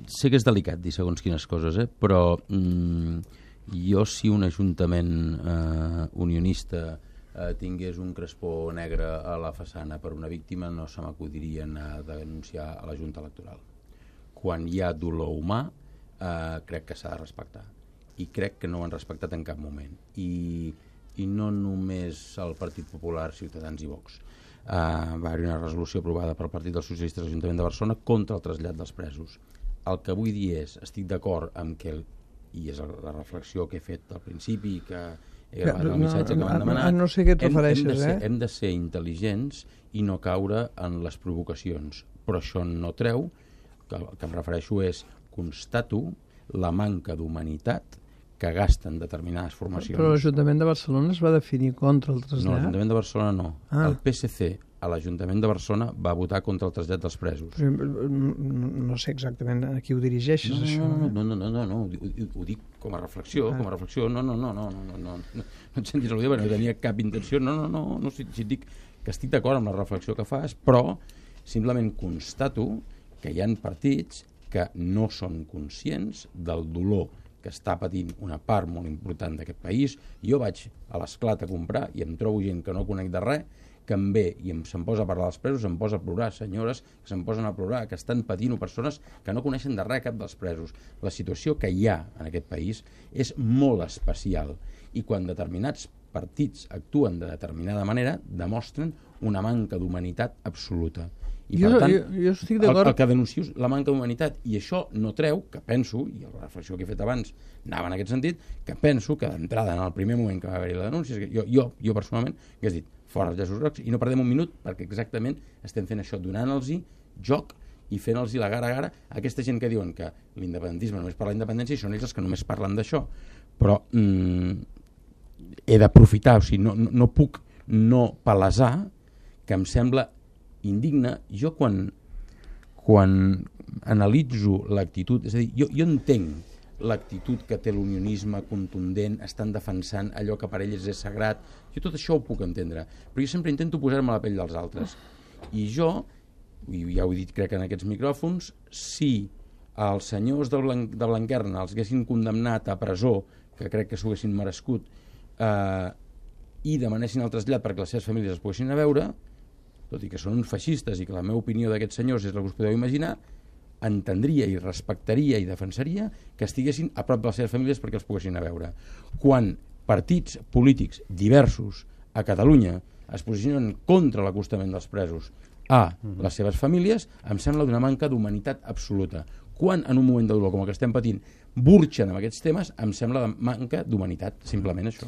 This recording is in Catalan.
sé que és delicat dir segons quines coses, però jo si un ajuntament unionista tingués un crespó negre a la façana per una víctima, no se m'acudiria anar a denunciar a la Junta Electoral. Quan hi ha dolor humà, crec que s'ha de respectar. I crec que no ho han respectat en cap moment. I no només el Partit Popular, Ciutadans i Vox. Va haver una resolució aprovada pel Partit dels Socialistes de l'Ajuntament de Barcelona contra el trasllat dels presos. El que vull dir és, estic d'acord amb que, i és la reflexió que he fet al principi, que he gravat el missatge que m'han demanat, no sé què et refereixes, hem de ser intel·ligents i no caure en les provocacions. Però això no treu, que el que em refereixo és, constato la manca d'humanitat que gasten determinades formacions. Però l'Ajuntament de Barcelona es va definir contra el trasllat? No, l'Ajuntament de Barcelona no. El PSC a l'Ajuntament de Barcelona va votar contra el trasllat dels presos. Però no sé exactament a qui ho dirigeixes, això. No, ho dic com a reflexió, no et sentis al·ludir, no tenia cap intenció, no, si et dic que estic d'acord amb la reflexió que fas, però simplement constato que hi ha partits que no són conscients del dolor que està patint una part molt important d'aquest país. Jo vaig a l'Esclat a comprar i em trobo gent que no conec de res, que em ve i se'm posa a parlar dels presos, se'm posa a plorar, senyores que se'm posen a plorar, que estan patint, o persones que no coneixen de res cap dels presos. La situació que hi ha en aquest país és molt especial i quan determinats partits actuen de determinada manera demostren una manca d'humanitat absoluta. I per tant, jo estic d'acord. El que denuncio és la manca d'humanitat, i això no treu que penso, i la reflexió que he fet abans anava en aquest sentit, que penso que d'entrada en el primer moment que va haver-hi la denúncia, jo personalment hagués dit fora els llaços grocs i no perdem un minut, perquè exactament estem fent això, donant-los joc i fent-los la gara a gara a aquesta gent que diuen que l'independentisme només parla d'independència i són ells els que només parlen d'això. Però he d'aprofitar, o sigui, no puc no palesar que em sembla indigne. Jo quan analitzo l'actitud, és a dir, jo entenc l'actitud que té l'unionisme contundent, estan defensant allò que per ells és sagrat, jo tot això ho puc entendre, però jo sempre intento posar-me a la pell dels altres. I jo, i ja ho he dit crec en aquests micròfons, si els senyors de Blanquerna els haguessin condemnat a presó, que crec que s'ho haguessin merescut, i demanessin el trasllat perquè les seves famílies es poguessin a veure, tot i que són uns feixistes i que la meva opinió d'aquests senyors és la que us podeu imaginar, entendria i respectaria i defensaria que estiguessin a prop de les seves famílies perquè els poguessin a veure. Quan partits polítics diversos a Catalunya es posicionen contra l'acostament dels presos a les seves famílies, em sembla d'una manca d'humanitat absoluta. Quan en un moment de dolor com el que estem patint burxen amb aquests temes, em sembla de manca d'humanitat, simplement això.